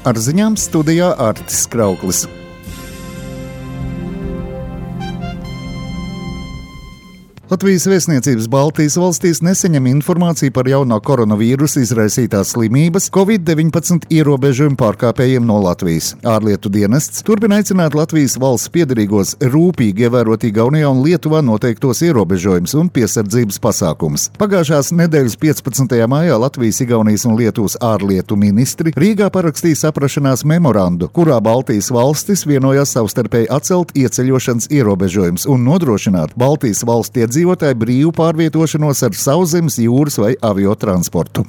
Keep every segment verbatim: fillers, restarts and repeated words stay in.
Ar ziņām studijā Artis Krauklis. Latvijas vēstniecības Baltijas valstīs nesaņem informāciju par jaunā koronavīrusa izraisītās slimības covid deviņpadsmit ierobežojumu pārkāpējiem no Latvijas. Ārlietu dienests turpina aicināt Latvijas valsts piederīgos rūpīgi ievērot Igaunijā un Lietuvā noteiktos ierobežojumus un piesardzības pasākumus. Pagājušās nedēļas piecpadsmitajā maijā Latvijas, Igaunijas un Lietuvas ārlietu ministri Rīgā parakstīja saprašanās memorandu, kurā Baltijas valstis vienojās savstarpēji atcelt ieceļošanas ierobežojumus un nodrošināt Baltijas valstu iedzīvotāju brīvu pārvietošanos ar sauszemes, jūras vai aviotransportu.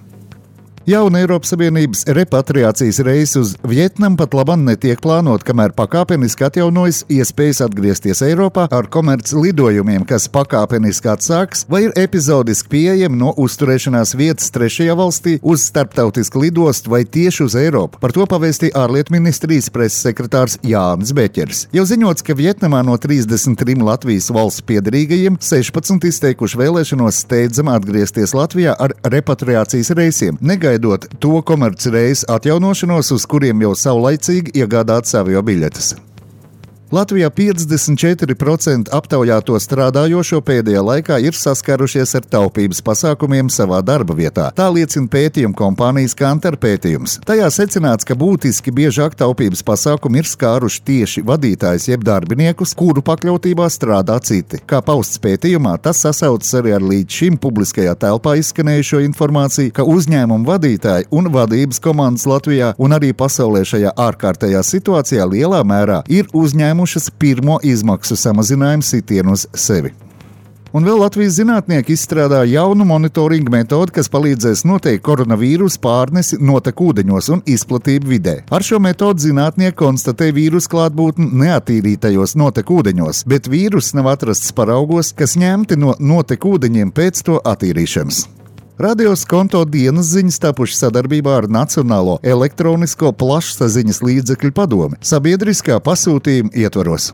Jauna Eiropas Savienības repatriācijas reise uz Vjetnamu pat labam netiek plānot, kamēr pakāpeniski atjaunojas iespējas atgriezties Eiropā ar komerc lidojumiem, kas pakāpeniski atsāks vai ir epizodiski pieejami no uzturēšanās vietas trešajā valstī uz starptautisku lidostu vai tieši uz Eiropu. Par to pavēstīja ārlietu ministrijas preses sekretārs Jānis Beķeris. Jau ziņots, ka Vjetnamā no trīsdesmit trim Latvijas valsts piederīgajiem sešpadsmit izteikuši vēlēšanos steidzam atgriezties Latvijā ar repatriācijas reisiem, negaidot to komerci reisu atjaunošanos, uz kuriem jau saulaicīgi iegādātas aviobiļetes. Latvijā piecdesmit četri procenti aptaujāto strādājošo pēdējā laikā ir saskārušies ar taupības pasākumiem savā darba vietā. Tā liecina pētījuma kompānijas Kantar pētījums. Tajā secināts, ka būtiski biežāk taupības pasākumi ir skāruši tieši vadītājus jeb darbiniekus, kuru pakļautībā strādā citi. Kā pausts pētījumā, tas sasaucas arī ar līdz šim publiskajā telpā izskanējušo informāciju, ka uzņēmumu vadītāji un vadības komandas Latvijā un arī pasaulē šajā ārkārtējā situācijā lielā mērā ir uzņēmuši pirmo izmaksu samazinājumu sitienu uz sevi. Un vēl Latvijas zinātnieki izstrādāja jaunu monitoringu metodi, kas palīdzēs noteikt koronavīrusu pārnesi notekūdeņos un izplatību vidē. Ar šo metodi zinātnieki konstatē vīrusu klātbūtni neattīrītajos notekūdeņos, bet vīruss nav atrasts paraugos, kas ņemti no notekūdeņiem pēc to attīrīšanas. Radio Skonto dienas ziņas tapušas sadarbībā ar Nacionālo elektronisko plašsaziņas līdzekļu padomi sabiedriskā pasūtījuma ietvaros.